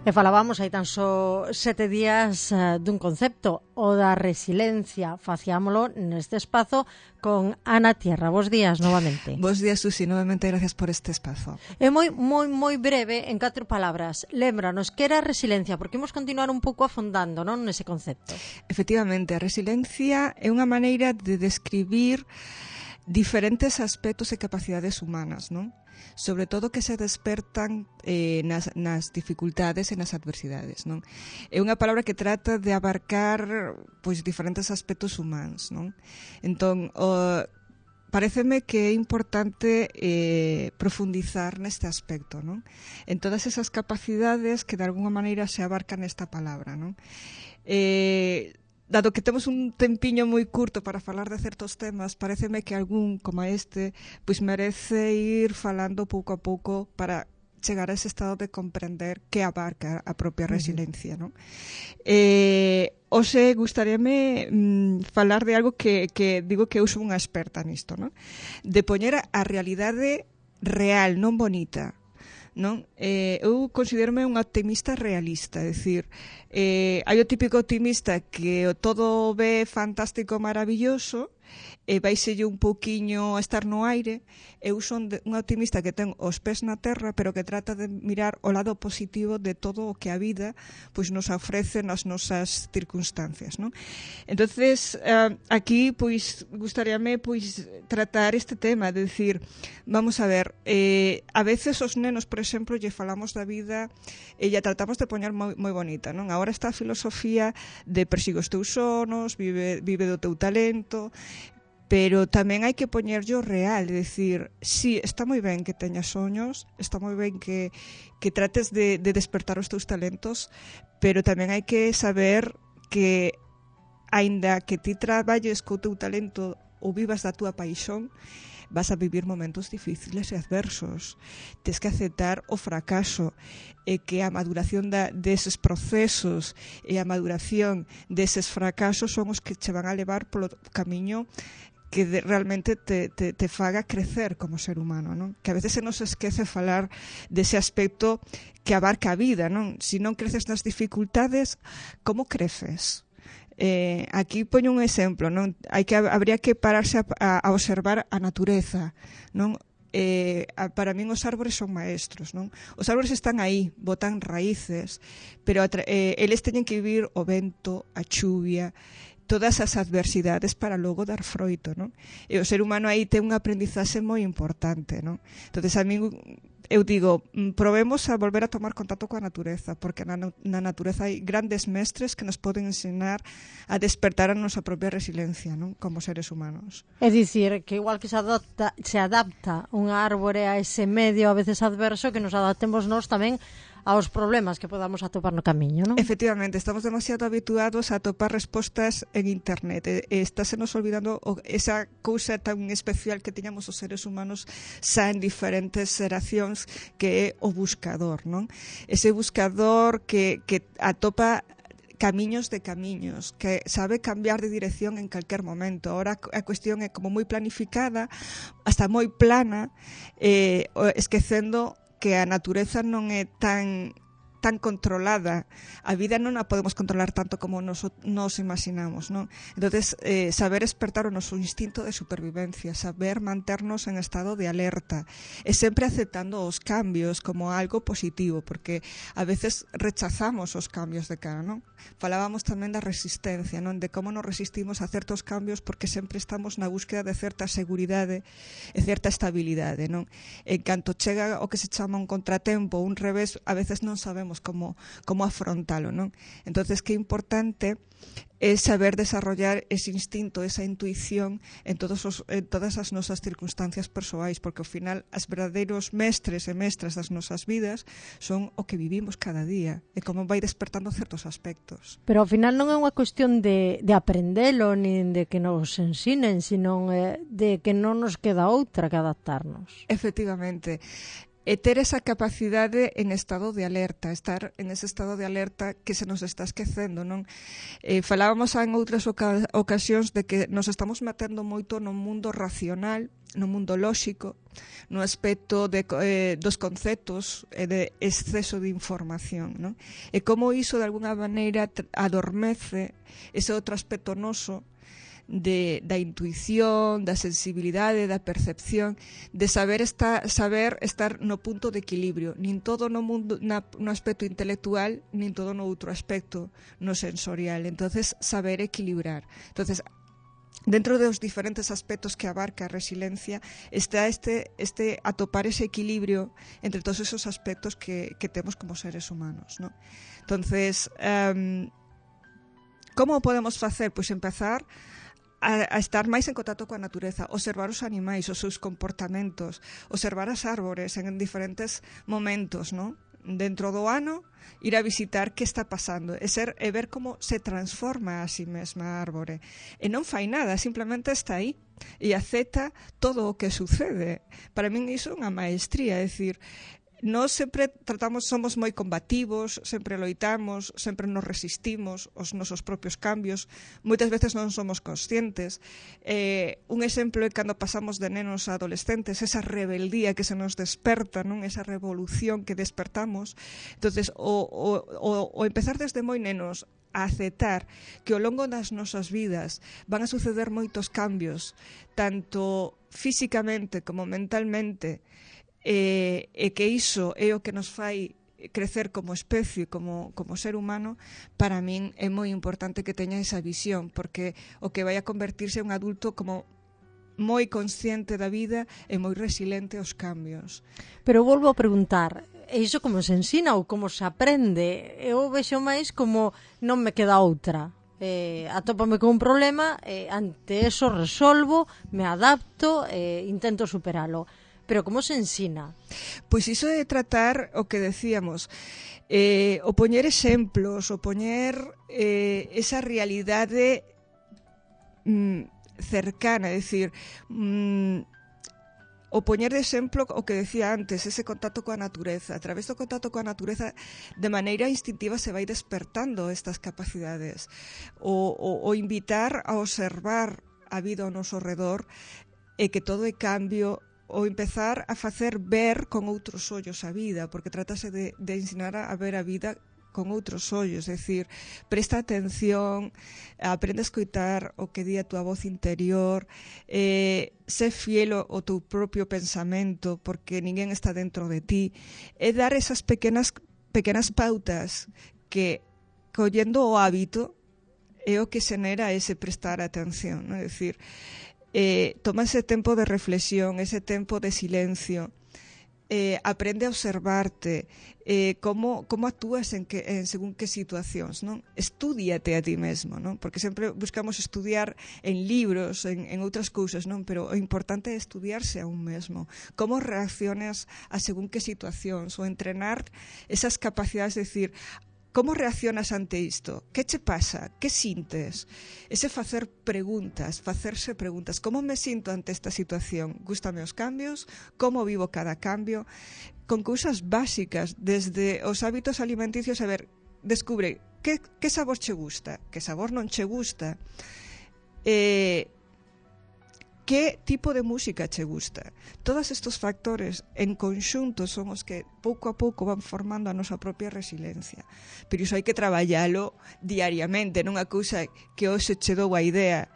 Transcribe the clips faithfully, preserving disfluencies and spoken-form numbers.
E falábamos hai tan só sete días uh, dun concepto, o da resiliencia. Faciámolo neste espazo con Ana Tierra. Bos días novamente. Bos días, Susi, novamente gracias por este espazo. É moi, moi, moi breve, en catro palabras. Lémbranos, que era a resiliencia? Porque imos continuar un pouco afondando, non, nese concepto. Efectivamente, a resiliencia é unha maneira de describir diferentes aspectos e capacidades humanas, non? Sobre todo que se despertan eh, nas, nas dificultades e nas adversidades, non? É unha palabra que trata de abarcar pois diferentes aspectos humanos, non? Entón, o, paréceme que é importante eh, profundizar neste aspecto, non? En todas esas capacidades que de alguna maneira se abarcan nesta palabra, non? Eh, dado que temos un tempiño moi curto para falar de certos temas, paréceme que algún como este pois merece ir falando pouco a pouco para chegar a ese estado de comprender que abarca a propia resiliencia, non? Eh, hoxe gustaríame mm, falar de algo que, que digo que eu sou unha experta nisto, non? De poñer a realidade real, non bonita, non? Eh, eu considero-me unha optimista realista, é dicir, eh, hai o típico optimista que o todo ve fantástico, maravilloso, e vaiselle un pouquiño a estar no aire. Eu son de, unha optimista que ten os pés na terra, pero que trata de mirar o lado positivo de todo o que a vida pois nos ofrece nas nosas circunstancias, non? Entonces, eh, aquí pois gustaríame pois tratar este tema, de decir, vamos a ver, eh, a veces os nenos, por exemplo, lle falamos da vida e lla tratamos de poñer moi, moi bonita, non? Agora está a filosofía de persigue os teus sonos, vive, vive do teu talento, pero tamén hai que poñerlle o real, é dicir, sí, está moi ben que teñas soños, está moi ben que, que trates de, de despertar os teus talentos, pero tamén hai que saber que, aínda que ti traballes co teu talento ou vivas da túa paixón, vas a vivir momentos difíciles e adversos. Tes que aceptar o fracaso e que a maduración da, deses procesos e a maduración deses fracasos son os que che van a levar polo camiño que de, realmente te, te, te faga crecer como ser humano, non? Que a veces se nos esquece falar dese aspecto que abarca a vida, non? Se non creces nas dificultades, como creces? Eh, aquí poño un exemplo, non? Hai que, habría que pararse a, a, a observar a natureza, non? Eh, a, para min os árbores son maestros, non? Os árbores están aí, botan raíces, pero eh, eles teñen que vivir o vento, a chuvia, todas as adversidades para logo dar froito, non? E o ser humano aí ten un aprendizaxe moi importante, non? Entonces a mí eu digo, probemos a volver a tomar contacto coa natureza, porque na, na natureza hai grandes mestres que nos poden ensinar a despertar a nosa propia resiliencia, non? Como seres humanos. É dicir, que igual que se adapta, se adapta unha árbore a ese medio a veces adverso, que nos adaptemos nós tamén aos problemas que podamos atopar no camiño, non? Efectivamente, estamos demasiado habituados a atopar respostas en internet e, e estáse nos olvidando o, esa cousa tan especial que teñamos os seres humanos xa en diferentes xeracións, que é o buscador, non? Ese buscador que, que atopa camiños de camiños, que sabe cambiar de dirección en calquer momento. Ahora a cuestión é como moi planificada, hasta moi plana, eh, esquecendo que a natureza non é tan tan controlada. A vida non a podemos controlar tanto como nos, nos imaginamos, non? Entonces, eh, saber despertar o noso instinto de supervivencia, saber manternos en estado de alerta, e sempre aceptando os cambios como algo positivo, porque a veces rechazamos os cambios de cara, non? Falábamos tamén da resistencia, non? De como nos resistimos a certos cambios porque sempre estamos na búsqueda de certa seguridade e certa estabilidade, non? En canto chega o que se chama un contratempo, un revés, a veces non sabemos como, como afrontalo, non? Entonces, que importante é saber desarrollar ese instinto, esa intuición en, todos os, en todas as nosas circunstancias persoais, porque ao final as verdadeiros mestres e mestras das nosas vidas son o que vivimos cada día e como vai despertando certos aspectos. Pero ao final non é unha cuestión de, de aprendelo nin de que nos ensinen, sino eh, de que non nos queda outra que adaptarnos. Efectivamente. e ter esa capacidade en estado de alerta, estar en ese estado de alerta que se nos está esquecendo, non? Eh, falábamos en outras oca- ocasións de que nos estamos metendo moito no mundo racional, no mundo lóxico, no aspecto de, eh, dos conceptos e de exceso de información, non? E como iso de alguna maneira adormece ese outro aspecto noso de, da intuición, da sensibilidade, da percepción, de saber estar, saber estar no punto de equilibrio, nin todo no mundo na, no aspecto intelectual, nin todo no outro aspecto no sensorial. Entonces, saber equilibrar. Entonces, dentro dos diferentes aspectos que abarca a resiliencia está este, este atopar ese equilibrio entre todos esos aspectos que, que temos como seres humanos, ¿no? Entonces, um, como podemos facer? Pois empezar A, a estar máis en contacto coa natureza, observar os animais, os seus comportamentos, observar as árbores en diferentes momentos, ¿no? Dentro do ano, ir a visitar que está pasando e, ser, e ver como se transforma a si mesma a árbore. E non fai nada, simplemente está aí e acepta todo o que sucede. Para min iso é unha maestría, é dicir, nós sempre tratamos, somos moi combativos, sempre loitamos, sempre nos resistimos aos nosos propios cambios, moitas veces non somos conscientes. Eh, un exemplo é cando pasamos de nenos a adolescentes, esa rebeldía que se nos desperta, non? Esa revolución que despertamos. Entonces, o, o, o, o empezar desde moi nenos a aceptar que ao longo das nosas vidas van a suceder moitos cambios, tanto físicamente como mentalmente, E, e que iso é o que nos fai crecer como especie, como, como ser humano, para min é moi importante que teña esa visión, porque o que vai a convertirse en un adulto como moi consciente da vida e moi resiliente aos cambios. Pero volvo a preguntar, e iso como se ensina ou como se aprende? Eu vexo máis como non me queda outra. Eh, atópame con un problema, eh, ante eso resolvo, me adapto e eh, intento superalo. Pero como se ensina? Pois iso é tratar o que decíamos, eh, o poñer exemplos, o poñer eh, esa realidade mm, cercana, é dicir, mm, o poñer de exemplo o que decía antes, ese contacto coa natureza. A través do contacto coa natureza, de maneira instintiva se vai despertando estas capacidades. O, o, o invitar a observar a vida ao noso redor e que todo é cambio, ou empezar a facer ver con outros ollos a vida, porque trátase de, de ensinar a ver a vida con outros ollos, é dicir, presta atención, aprende a escoitar o que di a túa voz interior, eh, sé fiel ao teu propio pensamento, porque ninguén está dentro de ti, e dar esas pequenas, pequenas pautas que, collendo o hábito, é o que xenera ese prestar atención, non? É dicir, Eh, toma ese tempo de reflexión, ese tempo de silencio, eh, aprende a observarte, eh, como, como actúas en, que, en según que situacións, non? Estúdiate a ti mesmo, non? Porque sempre buscamos estudiar en libros, en, en outras cousas, non? Pero o importante é estudiarse a un mesmo. Como reaccionas a según que situacións, ou entrenar esas capacidades de decir, como reaccionas ante isto? Que che pasa? Que sintes? Ese facer preguntas, facerse preguntas. Como me sinto ante esta situación? Gústame os cambios? Como vivo cada cambio? Con cousas básicas, desde os hábitos alimenticios, a ver, descubre que, que sabor che gusta, que sabor non che gusta, eh, que tipo de música che gusta. Todos estes factores en conxunto son os que pouco a pouco van formando a nosa propia resiliencia. Pero iso hai que traballalo diariamente, non a cousa que hoxe che dou a idea.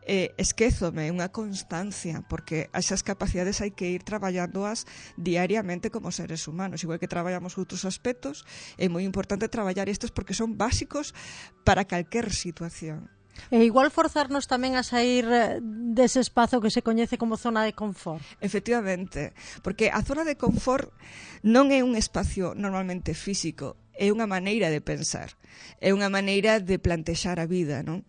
Eh, esquézome, unha constancia, porque esas capacidades hai que ir traballándoas diariamente como seres humanos, igual que traballamos outros aspectos. É moi importante traballar estes porque son básicos para calquer situación. E igual forzarnos tamén a sair dese espazo que se coñece como zona de confort. Efectivamente, porque a zona de confort non é un espacio normalmente físico, é unha maneira de pensar, é unha maneira de plantexar a vida, non?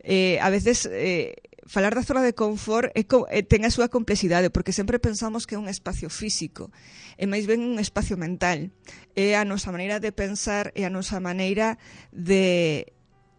Eh, a veces eh, falar da zona de confort é, é, ten a súa complexidade, porque sempre pensamos que é un espacio físico, é máis ben un espacio mental, é a nosa maneira de pensar, é a nosa maneira de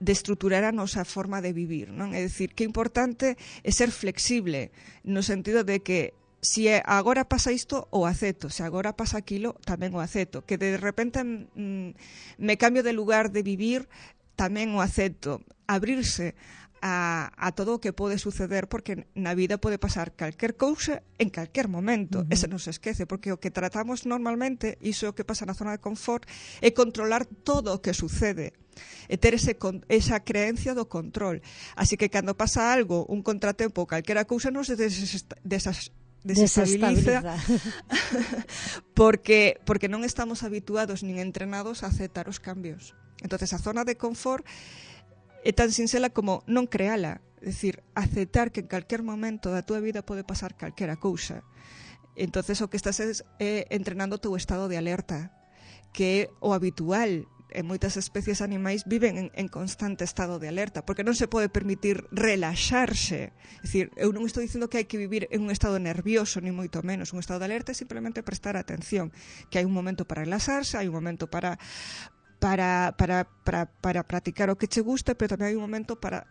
de estruturar a nosa forma de vivir, non? É dicir, que é importante é ser flexible, no sentido de que si agora pasa isto, o acepto, se agora pasa aquilo, tamén o acepto, que de repente mm, me cambio de lugar de vivir, tamén o acepto, abrirse a, a todo o que pode suceder, porque na vida pode pasar calquer cousa en calquer momento. Uh -huh. Ese non se esquece, porque o que tratamos normalmente, iso é o que pasa na zona de confort, é controlar todo o que sucede, e ter ese, esa creencia do control. Así que cando pasa algo, un contratempo ou calquera cousa, non se desesta, desas, desestabiliza, porque, porque non estamos habituados nin entrenados a aceptar os cambios. Entonces a zona de confort é tan sinxela como non creala, é dicir, aceptar que en calquer momento da túa vida pode pasar calquera cousa. Entonces o que estás é, é entrenando o teu estado de alerta, que é o habitual. En moitas especies animais viven en, en constante estado de alerta, porque non se pode permitir relaxarse. É dicir, eu non estou dicindo que hai que vivir en un estado nervioso, ni moito menos. Un estado de alerta é simplemente prestar atención, que hai un momento para relaxarse, hai un momento para Para, para, para, para practicar o que che gusta, pero tamén hai un momento para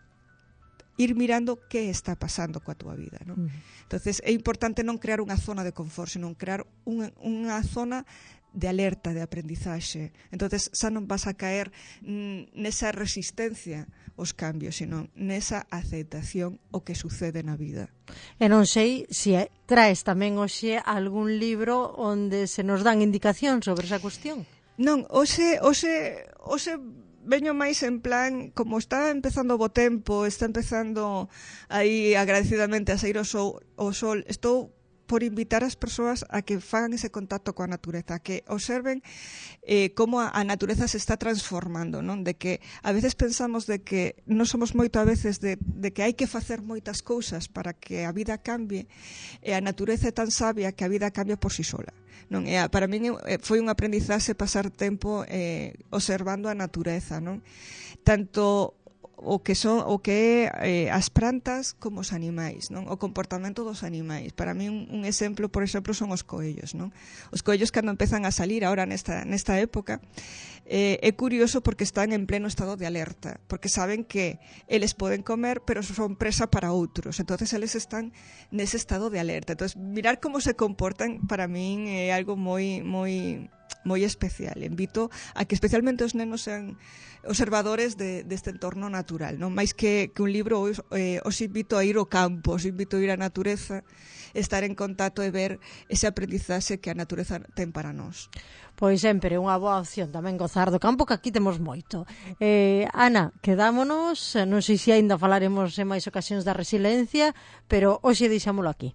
ir mirando que está pasando coa túa vida, ¿no? Uh -huh. Entonces é importante non crear unha zona de confort, senón crear unha, unha zona de alerta, de aprendizaxe. Entonces xa non vas a caer nesa resistencia aos cambios, sino nesa aceptación o que sucede na vida. E non sei se traes tamén hoxe algún libro onde se nos dan indicación sobre esa cuestión. Non, hoxe, hoxe, hoxe veño máis en plan, como está empezando o bo tempo, está empezando aí agradecidamente a sair o sol, o sol, estou por invitar as persoas a que fagan ese contacto coa natureza, que observen eh, como a, a natureza se está transformando, non? De que a veces pensamos de que non somos moito a veces de, de que hai que facer moitas cousas para que a vida cambie, e a natureza é tan sabia que a vida cambia por si sola. Non, e para min foi un aprendizaxe pasar tempo eh, observando a natureza, non? Tanto o que son o que é eh, as plantas como os animais, non? O comportamento dos animais. Para mí un, un exemplo, por exemplo, son os coellos, non? Os coellos cando empezan a salir agora nesta nesta época, eh, é curioso porque están en pleno estado de alerta, porque saben que eles poden comer, pero son presa para outros. Entonces eles están nese estado de alerta. Entonces mirar como se comportan para min é algo moi moi moi especial. Invito a que especialmente os nenos sean observadores de, deste entorno natural, non máis que, que un libro, os, eh, os invito a ir ao campo, os invito a ir á natureza, estar en contacto e ver ese aprendizaxe que a natureza ten para nós. Pois sempre unha boa opción tamén gozar do campo, que aquí temos moito. Eh, Ana, quedámonos, non sei se aínda falaremos en máis ocasións da resiliencia, pero hoxe deixámolo aquí.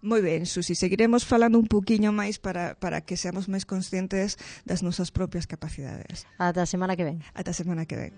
Moi ben, Susi, seguiremos falando un poquinho máis para, para que seamos máis conscientes das nosas propias capacidades. Ata a semana que ven. Ata a semana que ven.